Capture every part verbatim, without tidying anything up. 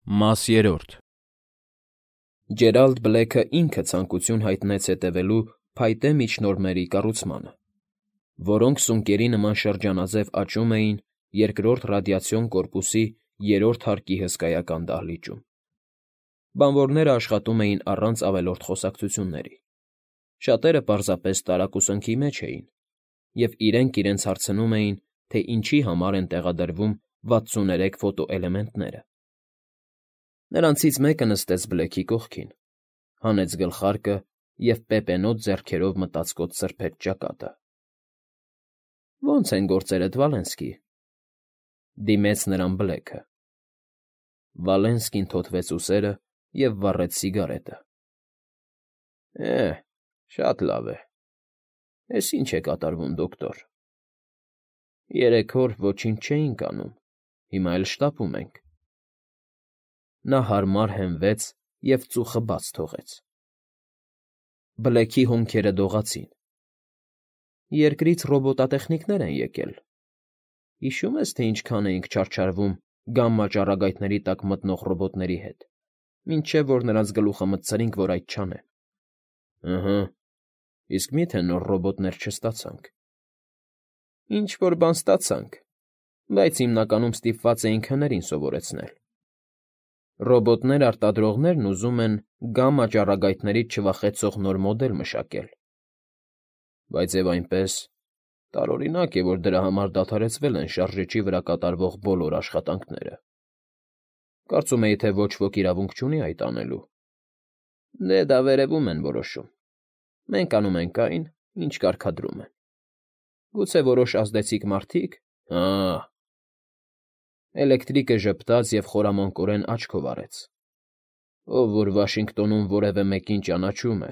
Մաս երրորդ Ջերալդ Բլեքը ինքը ցանկություն հայտնեց հետևելու փայտե միջնորդների կառուցմանը, որոնք սունկերի նման շրջանաձև աճում էին երկրորդ ռադիացիոն կորպուսի երրորդ հարկի հսկայական դահլիճում։ Բանվորները աշխատում էին առանց ավելորդ խոսակցությունների, շատերը պարզապես տարակուսանքի մեջ էին և իրենք իրենց հարցնում էին, թե ինչի համար են տեղադրվում վաթսուներեք ֆոտոէլեմենտները։ Նրանցից մեկը նստեց Բլեքի կողքին, հանեց գլխարկը և պեպենոտ ձեռքերով մտածկոտ սրբեց ճակատը։ ֊ Ո՞նց են գործերդ, Վալենսկի,֊ դիմեց նրան Բլեքը։ Վալենսկին թոթվեց ուսերը և վառեց սիգարետը։ ֊ Է՛հ, շատ լավ է, էս ի՞նչ է կատարվում, դոկտոր։ ֊ Երեք օր ոչինչ չէինք անում, հիմա էլ շտապում ենք։ Նա հարմար հենվեց և ծուխը բաց թողեց։ Բլեքի հոնքերը դողացին։ ֊ Երկրից ռոբոտատեխնիկներ են եկել… Հիշո՞ւմ ես, թե ինչքան էինք չարչարվում գամմա ճառագայթների տակ մտնող ռոբոտների հետ, մինչև որ նրանց գլուխը մտցրինք, որ այդ չանեն։ ֊ Ըհը, իսկ մի՞թե նոր ռոբոտներ չստացանք։ ֊ Ինչ֊որ բան ստացանք, բայց հիմնականում ստիպված էինք հներին սովորեցնել։ Ռոբոտներ արտադրողներն ուզում են գամմա ճառագայթներից չվախեցող նոր մոդել մշակել։ ֊ Բայց և այնպես, տարօրինակ է, որ դրա համար դադարեցվել են շարժիչի վրա կատարվող բոլոր աշխատանքները։ Կարծում էի, թե ոչ ոք իրավունք չունի այդ անելու։ ֊ Դե դա վերևում են որոշում, մենք անում ենք այն, ինչ կարգադրում են։ Գուցե որոշ ազդեցիկ մարդիկ… Հա՜… Էլեկտրիկը ժպտաց և խորամանկորեն աչքով արեց։ Ով որ Վաշինգտոնում որևէ մեկին ճանաչում է…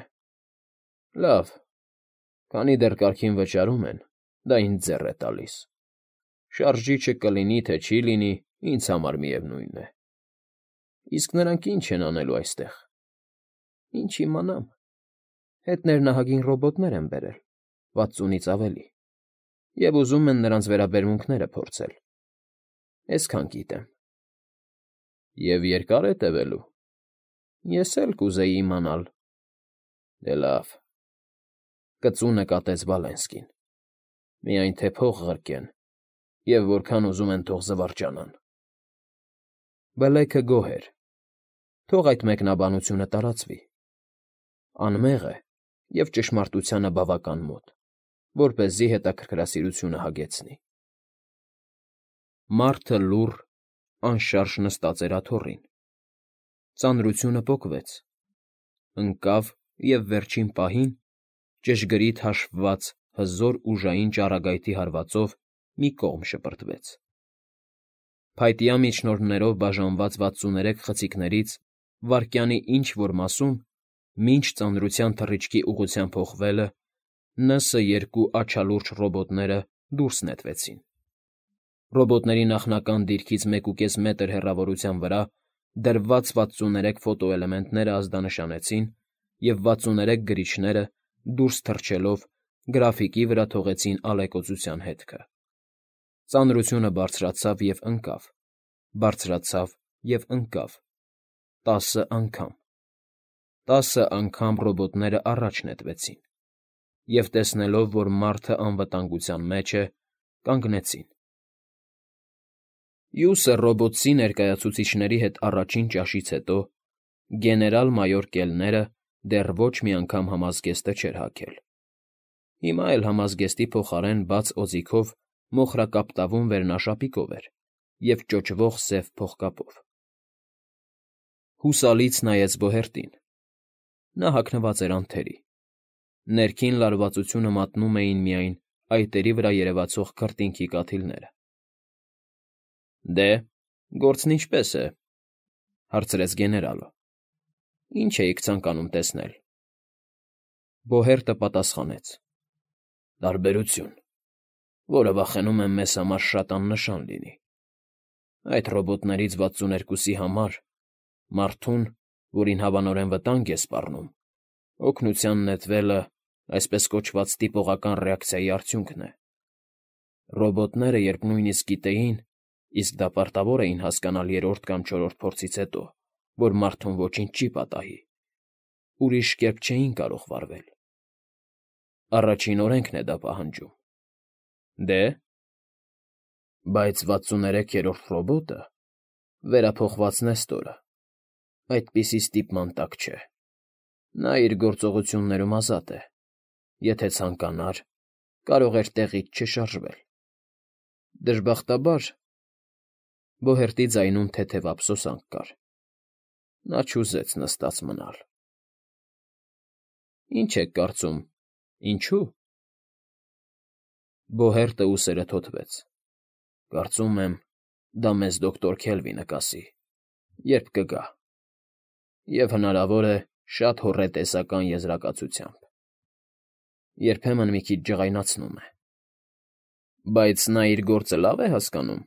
Լավ, քանի դեռ կարգին վճարում են, դա ինձ ձեռ է տալիս։ Շարժիչը կլինի, թե չի լինի, ինձ համար միևնույն է։ Իսկ նրանք ի՞նչ են անելու այստեղ։ ֊ Ինչ իմանամ… Հետ ներնահագին ռոբոտներ են բերել, վաթսունից ավելի, և ուզում են նրանց վերաբերմունքները փորձել։ Էսքան գիտեմ։ ֊ Եվ երկա՞ր է տևելու։ ֊ Ես էլ կուզեի իմանալ։ ֊ Դե լավ…֊ կծու նկատեց Վալենսկին։֊ Միայն թե փող ղրկեն, և որքան ուզում են թող զվարճանան։ Բլեքը գոհ էր։ Թող այդ մեկնաբանությունը տարածվի։ Անմեղ է և ճշմարտությանը բավական մոտ, որպեսզի հետաքրքրասիրությունը հագեցնի։ Մարդը լուռ, անշարժ նստած էր աթոռին։ Ծանրությունը պոկվեց, ընկավ և վերջին պահին, ճշգրիտ հաշվված հզոր ուժային ճառագայթի հարվածով, մի կողմ շպրտվեց։ Փայտյա միջնորդներով բաժանված վաթսուներեք խցիկներից վայրկյանի ինչ֊որ մասում, մինչ ծանրության թռիչքի ուղղությամբ հոխվելը, Ն.Ս երկու աջալուրջ ռոբոտները դուրս նետվեցին։ Ռոբոտների նախնական դիրքից մեկուկես մետր հեռավորության վրա դրված վաթսուներեք ֆոտոէլեմենտները ազդանշանեցին, և վաթսուներեք գրիչները, դուրս թռչելով, գրաֆիկի վրա թողեցին ալեկոծության հետքը։ Ծանրությունը բարձրացավ և ընկավ, բարձրացավ և ընկավ… տասը անգամ։ Տասը անգամ ռոբոտները առաջ նետվեցին և, տեսնելով, որ մարդը անվտանգության մեջ է, կանգնեցին։ Մյուսը ռոբոտ֊սի ներկայացուցիչների հետ առաջին ճաշից հետո գեներալ֊մայոր Կելները դեռ ոչ մի անգամ համազգեստը չէր հագել։ Հիմա էլ համազգեստի փոխարեն բաց օձիքով մոխրակապտավուն վերնաշապիկով էր և ճոճվող սև փողկապով։ Հուսալից նայեց Բոհերտին. նա հագնված էր անթերի, ներքին լարվածությունը մատնում էին միայն այտերի վրա երևացող քրտինքի կաթիլները։ ֊ Դե, գործն ինչպե՞ս է,֊ հարցրեց գեներալը։ ֊ Ի՞նչ էիք ցանկանում տեսնել։ Բոհերտը պատասխանեց. ֊ Տարբերություն, որը, վախենում եմ, մեզ համար շատ աննշան լինի։ Այդ ռոբոտներից վաթսուներկուսի համար մարդուն, որին հավանորեն վտանգ է սպառնում, օգնության նետվելը, այսպես կոչված, տիպողական ռեակցիայի արդյունքն է։ Ռոբոտները, երբ նույնիսկ գիտեին, Իսկ դա պարտավոր էին հասկանալ երրորդ կամ չորրորդ փորձից հետո, որ մարդուն ոչինչ չի պատահի, ուրիշ կերպ չէին կարող վարվել։ Առաջին օրենքն է դա պահանջում։ Դե՞, բայց վաթսուններեք-երորդ ռոբոտը, վերափոխված Նեստորը, այդպիսի ստիպման տակ չէ։ Նա իր գործողություններում ազատ է, եթե ցանկանար, կարող էր տեղից չշարժվել։ Դժբախտաբար, Բոհերտի ձայնում թեթև ափսոսանք կար, նա չուզեց նստած մնալ։ Ինչ եք կարծում, ինչու՞։ Բոհերտը ուսերը թոթվեց։ Կարծում եմ, դա մեզ դոկտոր Քելվինը կասի, երբ կգա, և հնարավոր է շատ հոռետեսական եզրակացությամբ։ Երբեմն մի քիչ ջղայնացնում է։ Բայց նա իր գործը լավ է հասկանում։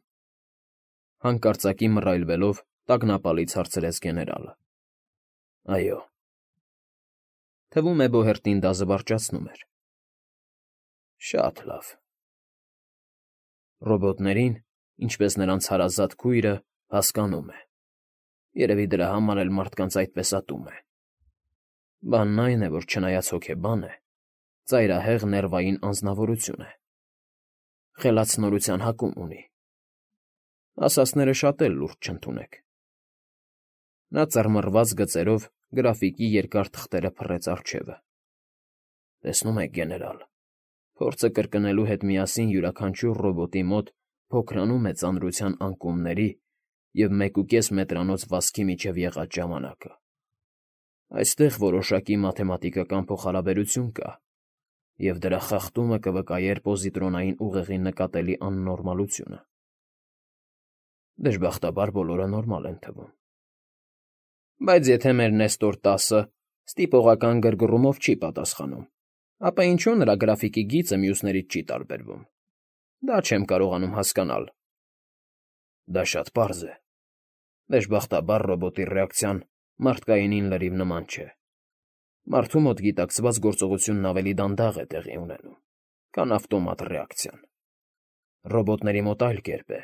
Հանկարծակի մռայլվելով տագնապալից հարցրեց գեներալը։ Այո։ Թվում է Բոհերտին դա զվարճացնում էր։ Շատ լավ։ Ռոբոտներին, ինչպես նրանց հարազատ քույրը, հասկանում է։ Երևի դրա համար էլ մարդկանց այդպես ատում է։ Բանն այն է, որ չնայած հոգեբան է, ծայրահեղ ներվային անձնավորություն է։ Խելացնորության հակում ունի։ Ասածները շատ էլ լուրջ չընդունեք։ Նա ծռմռված գծերով գրաֆիկի երկար թղթերը փռեց առջևը։ Տեսնում եք, գեներալ, փորձը կրկնելու հետ միասին յուրաքանչյուր ռոբոտի մոտ փոքրանում է ծանրության անկումների և մեկուկես մետրանոց վազքի միջև եղած ժամանակը։ Այստեղ որոշակի մաթեմատիկական փոխհարաբերություն կա, և դրա խախտումը կվկայեր պոզիտրոնային ուղեղի նկատելի աննորմալությունը։ Դժբախտաբար բոլորը նորմալ են թվում։ Բայց եթե մեր Նեստոր տասը ստիպողական գրգռումով չի պատասխանում, ապա ինչու նրա գրաֆիկի գիծը մյուսներից չի տարբերվում։ Դա չեմ կարողանում հասկանալ։ Դա շատ պարզ է։ Դժբախտաբար ռոբոտի ռեակցիան մարդկայինին լրիվ նման չէ։ Մարդու մոտ գիտակցված գործողությունն ավելի դանդաղ է տեղի ունենում, քան ավտոմատ ռեակցիան։ Ռոբոտների մոտ այլ կերպ է։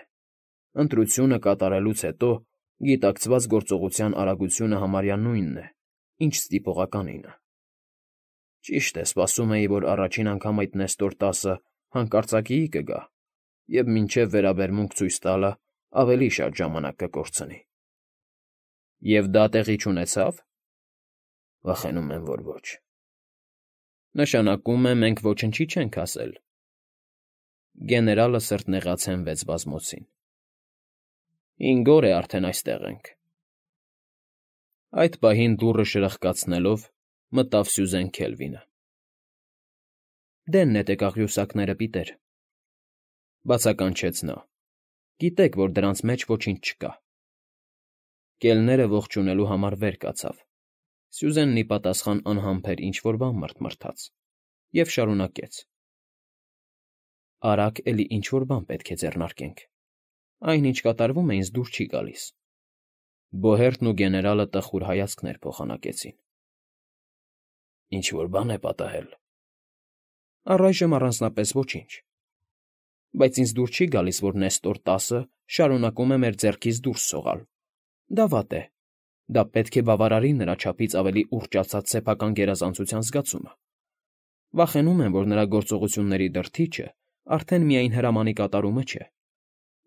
Ընտրությունը կատարելուց հետո գիտակցված գործողության արագությունը համարյա նույնն է, ինչ ստիպողականինը։ Ճիշտ է, սպասում էի, որ առաջին անգամ այդ Նեստոր տասը հանկարծակիի կգա և մինչև վերաբերմունք ցույց տալը ավելի շատ ժամանակ կկորցնի։ Եվ դա տեղի չունեցա՞վ։ Վախենում եմ, որ ոչ։ Նշանակում է, մենք ոչնչի չենք ասել։ Գեներալը սրտնեղած հենվեց բազմոցին։ Հինգ օր է արդեն այստեղ ենք։ Այդ պահին դուռը շրխկացնելով մտավ Սյուզեն Քելվինը։ Դեն նետեք աղյուսակները, պիտեր, բացականչեց նա։ Գիտեք, որ դրանց մեջ ոչինչ չկա։ Կելները ողջունելու համար վեր կացավ։ Սյուզենն ի պատասխան անհամբեր ինչ֊որ բան մռթմռթաց և շարունակեց. Արագ էլի ինչ֊որ բան պետք է ձեռնարկենք։ Այն, ինչ կատարվում է, ինձ դուր չի գալիս։ Բոհերտն ու գեներալը տխուր հայացքներ փոխանակեցին։ Ինչ֊որ բան է պատահել։ Առայժմ առանձնապես ոչինչ։ Բայց ինձ դուր չի գալիս, որ Նեստոր տասը շարունակում է մեր ձեռքից դուրս սողալ։ Դա վատ է։ Դա պետք է բավարարի նրա չափից ավելի ուռճացած սեփական գերազանցության զգացումը։ Վախենում եմ, որ նրա գործողությունների դրդիչը արդեն միայն հրամանի կատարումը չէ։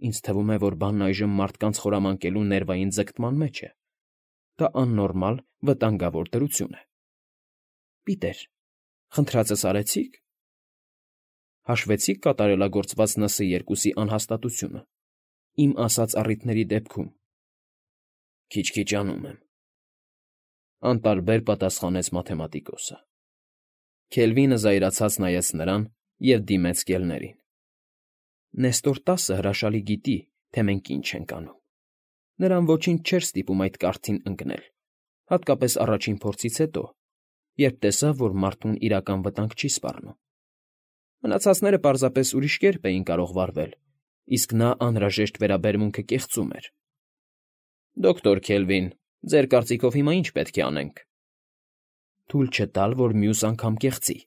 Ինձ թվում է, որ բանն այժմ մարդկանց խորամանկելու ներվային ձգտման մեջ է։ Դա աննորմալ, վտանգավոր դրություն է։ Պիտեր, խնդրածս արեցի՞ք։ Հաշվեցի՞ք կատարելագործված Ն Ս երկուսի անհաստատությունը, իմ ասած առիթների դեպքում։ Քիչ֊քիչ անում եմ, անտարբեր պատասխանեց մաթեմատիկոսը։ Քելվինը զայրացած նայեց նրան և դիմեց կելներին։ Նեստոր տասը հրաշալի գիտի, թե մենք ինչ ենք անում։ Նրան ոչինչ չէր ստիպում այդ կարծին ընկնել, հատկապես առաջին փորձից հետո, երբ տեսավ, որ մարդուն իրական վտանգ չի սպառնում։ Մնացածները պարզապես ուրիշ կերպ էին կարող վարվել, իսկ նա անհրաժեշտ վերաբերմունքը կեղծում էր։ Դոկտոր Քելվին, ձեր կարծիքով հիմա ինչ պետք է անենք։ Թույլ չտալ, որ մյուս անգամ կեղծի։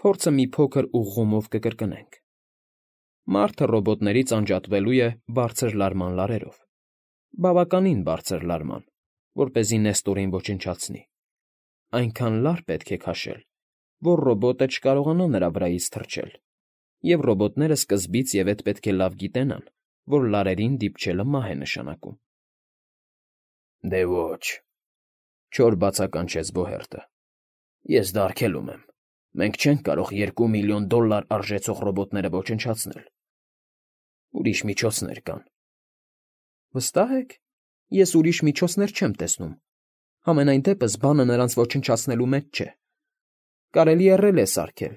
Փորձը մի փոքր ուղղումով կկրկնենք։ Մարդը ռոբոտներից անջատվելու է բարձր լարման լարերով, բավականին բարձր լարման, որպեսզի Նեստորին ոչնչացնի։ Այնքան լար պետք է քաշել, որ ռոբոտը չկարողանա նրա վրայից թռչել, և ռոբոտները սկզբից և էդ պետք է լավ գիտենան, որ լարերին դիպչելը մահ է նշանակում։ ֊ Դե ոչ,֊ չոր բացականչեց Բոհերտը,֊ ես դա արգելում եմ։ Մենք չենք կարող երկու միլիոն դոլլար արժեցող ռոբոտները ոչնչացնել։ Ուրիշ միջոցներ կան։ ֊ Վստահ եք, ես ուրիշ միջոցներ չեմ տեսնում։ Համենայն դեպս բանը նրանց ոչնչացնելու մեջ չէ։ Կարելի է ռելե սարքել,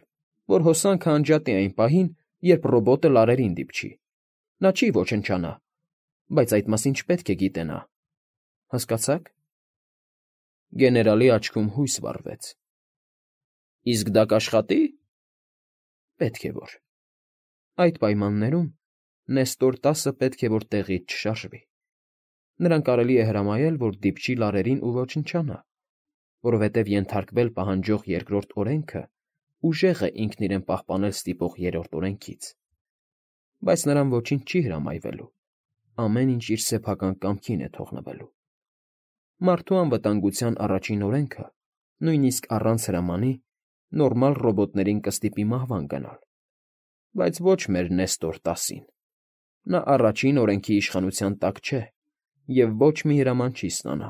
որ հոսանքը անջատի այն պահին, երբ ռոբոտը լարերին դիպչի։ Նա չի ոչնչանա, բայց այդ մասին չպետք է գիտենա։ Հասկացա՞ք։ Գեներալի աչքում հույս վառվեց։ ֊ Իսկ դա կաշխատի՞։ Պետք է որ։ Այդ պայմաններում Նեստոր տասը պետք է որ տեղից չշարժվի։ Նրան կարելի է հրամայել, որ դիպչի լարերին ու ոչնչանա, որովհետև ենթարկվել պահանջող երկրորդ օրենքը ուժեղ է ինքն իրեն պահպանել ստիպող երրորդ օրենքից։ Բայց նրան ոչինչ չի հրամայվելու, ամեն ինչ իր սեփական կամքին է թողնվելու։ Մարդու անվտանգության առաջին օրենքը, նույնիսկ առանց հրամանի, նորմալ ռոբոտներին կստիպի մահվան գնալ, բայց ոչ մեր Նեստոր տասին։ Նա առաջին օրենքի իշխանության տակ չէ և ոչ մի հրաման չի ստանա։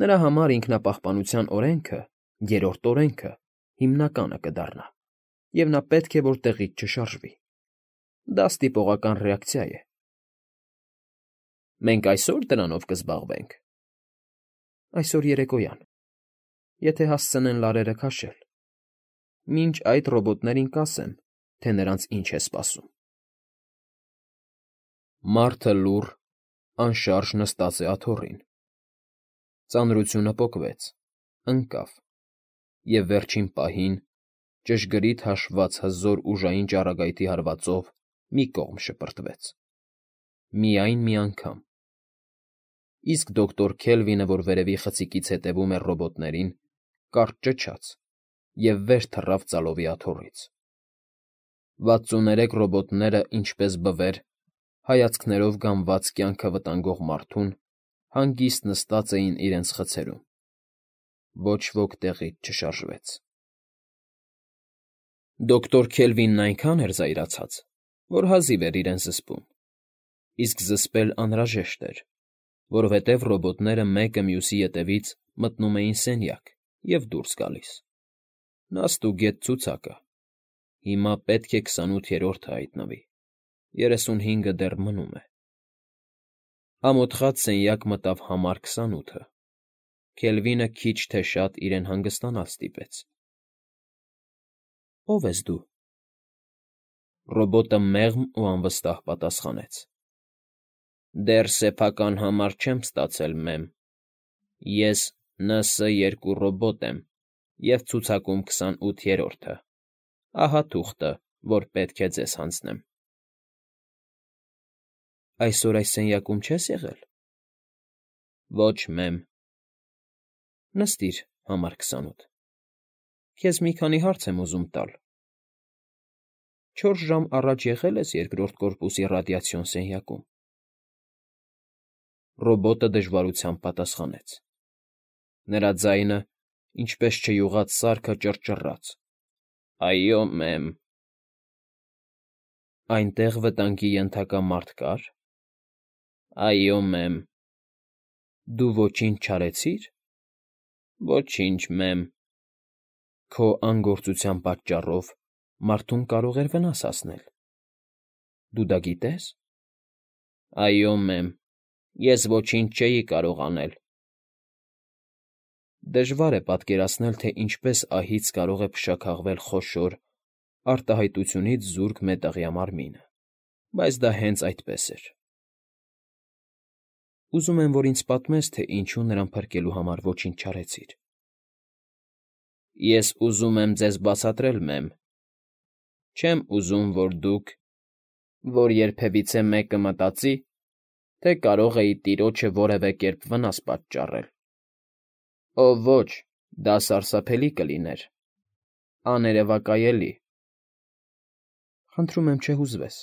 Նրա համար ինքնապահպանության օրենքը, երրորդ օրենքը, հիմնականը կդառնա, և նա պետք է որ տեղից չշարժվի։ Դա ստիպողական ռեակցիա է։ Մենք այսօր դրանով կզբաղվենք։ Այսօր երեկոյան, եթե հասցնեն լարերը քաշել։ Մինչ այդ ռոբոտներին կասեմ, թե նրանց ինչ է սպասում։ Մարդը լուռ, անշարժ նստած է աթոռին։ Ծանրությունը պոկվեց, ընկավ, և վերջին պահին, ճշգրիտ հաշվված հզոր ուժային ճառագայթի հարվածով մի կողմ շպրտվեց։ Միայն մի անգամ։ Իսկ դոկտոր Քելվինը, որ վերևի խցիկից հետևում էր ռոբոտներին, կարճ ճչաց և վեր թռավ ծալովի աթոռից։ Վաթսուներեք ռոբոտները, ինչպես բվեր, հայացքներով գամված կյանքը վտանգող մարդուն, հանգիստ նստած էին իրենց խցերում։ Ոչ ոք տեղից չշարժվեց։ Դոկտոր Քելվինն այնքան էր զայրացած, որ հազիվ էր իրեն զսպում, իսկ զսպել անհրաժեշտ էր, որովհետև ռոբոտները մեկը մյուսի ետևից մտնում էին սենյակ և դուրս գալիս։ Նա ստուգեց ցուցակը։ Հիմա պետք է քսանութերորդը հայտնվի, երեսունհինգը դեռ մնում է։ Ամոթխած սենյակ մտավ համար քսանութը։ Քելվինը քիչ թե շատ իրեն հանգստանալ ստիպեց։ ֊ Ո՞վ ես դու։ Ռոբոտը մեղմ ու անվստահ պատասխանեց. ֊ Դեռ սեփական համար չեմ ստացել, մեմ։ Ես Ն Ս երկու ռոբոտ եմ և ցուցակում քսանութերորդը։ Ահա թուղթը, որ պետք է ձեզ հանձնեմ։ ֊ Այսօր այս սենյակում չե՞ս եղել։ ֊ Ոչ, մեմ։ ֊ Նստիր, համար քսանութ, քեզ մի քանի հարց եմ ուզում տալ։ Չորս ժամ առաջ եղե՞լ ես երկրորդ կորպուսի ռադիացիոն սենյակում։ Ռոբոտը դժվարությամբ պատասխանեց։ Նրա ձայնը, ինչպես չյուղած սարքը, ճռճռաց. Այո, մեմ։ Այնտեղ վտանգի ենթակա մարդ կա՞ր։ Այո, մեմ։ Դու ոչինչ չարեցի՞ր։ Ոչինչ, մեմ։ Քո անգործության պատճառով մարդուն կարող էր վնաս հասնել։ Դու դա գիտե՞ս։ Այո, մեմ, ես ոչինչ չէի կարող անել։ Դժվար է պատկերացնել, թե ինչպես ահից կարող է փշաքաղվել խոշոր, արտահայտությունից զուրկ մետաղյա մարմինը, բայց դա հենց այդպես էր։ Ուզում եմ, որ ինձ պատմես, թե ինչու նրան փրկելու համար ոչինչ չարեցիր։ Ես ուզում եմ ձեզ բացատրել, մեմ։ Չեմ ուզում, որ դուք, որ երբևիցե մեկը մտածի, թե կարող էի տիրոջը որևէ կերպ վնաս պատճառել։ Օ ոչ, դա սարսափելի կլիներ, աներևակայելի։ Խնդրում եմ չհուզվես։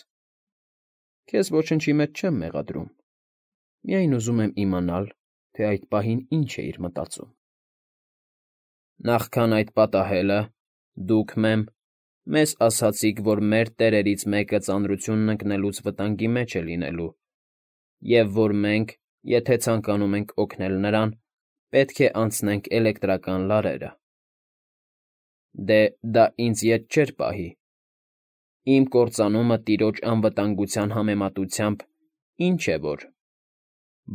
Քեզ ոչնչի մեջ չեմ մեղադրում, միայն ուզում եմ իմանալ, թե այդ պահին ինչ էիր մտածում։ Նախքան այդ պատահելը, դուք, մեմ, մեզ ասացիք, որ մեր տերերից մեկը ծանրությունն ընկնելուց վտանգի մեջ է լինելու, և որ մենք, եթե ցանկանում ենք օգնել նրան, պետք է անցնենք էլեկտրական լարերը։ Դե, դա ինձ ետ չէր պահի։ Իմ կործանումը տիրոջ անվտանգության համեմատությամբ ինչ է որ։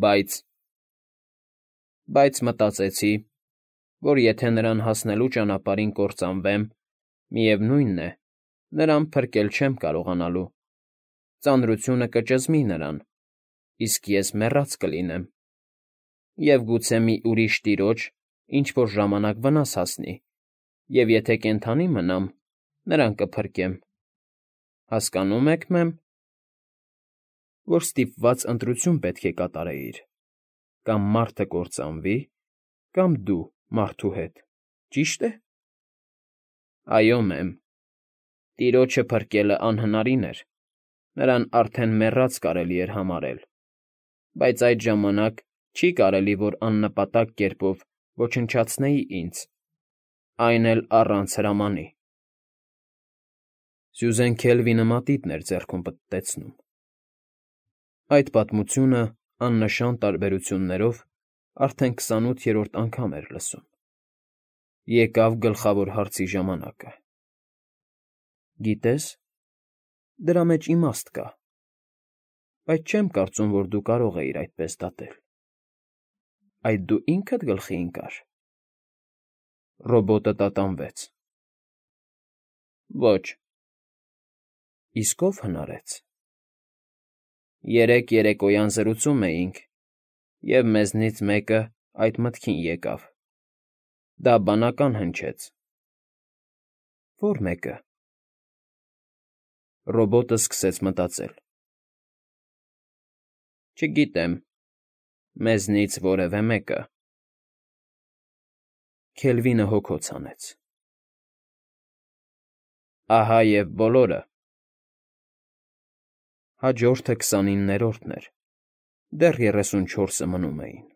Բայց… Բայց մտածեցի, որ եթե նրան հասնելու ճանապարհին կործանվեմ, միևնույն է, նրան փրկել չեմ կարողանալու, ծանրությունը կճզմի նրան, իսկ ես մեռած կլինեմ, և գուցե մի ուրիշ տիրոջ ինչ֊որ ժամանակ վնաս հասնի, և եթե կենդանի մնամ, նրան կփրկեմ, հասկանո՞ւմ եք, մեմ, որ ստիպված ընտրություն պետք է կատարեիր. կամ մարդը կործանվի, կամ դու մարդու հետ, ճի՞շտ է։ Այո, մեմ, տիրոջը փրկելը անհնարին էր, նրան արդեն մեռած կարելի էր համարել, բայց այդ ժամանակ չի կարելի, որ աննպատակ կերպով ոչնչացնեի ինձ, այն էլ առանց հրամանի։ Սյուզեն Քելվինը մատիտն էր ձեռքում պտտեցնում։ Այդ պատմությունը աննշան տարբերություններով արդեն քսանութերորդ անգամ էր լսում։ Եկավ գլխավոր հարցի ժամանակը։ Գիտես, դրա մեջ իմաստ կա, բայց չեմ կարծում, որ դու կարող էիր այդպես դատել։ Այդ դու ինքդ գլխի ընկա՞ր։ Ռոբոտը տատանվեց։ Ոչ։ Իսկ ո՞վ հնարեց։ Երեկ երեկոյան զրուցում էինք, և մեզնից մեկը այդ մտքին եկավ։ Դա բանական հնչեց։ Ո՞ր մեկը։ Ռոբոտը սկսեց մտածել։ Չգիտեմ, մեզնից որևէ մեկը։ Քելվինը հոգոց հանեց։ Ահա և բոլորը։ Հաջորդը քսանիններորդն էր, դեռ երեսունչորսը մնում էին։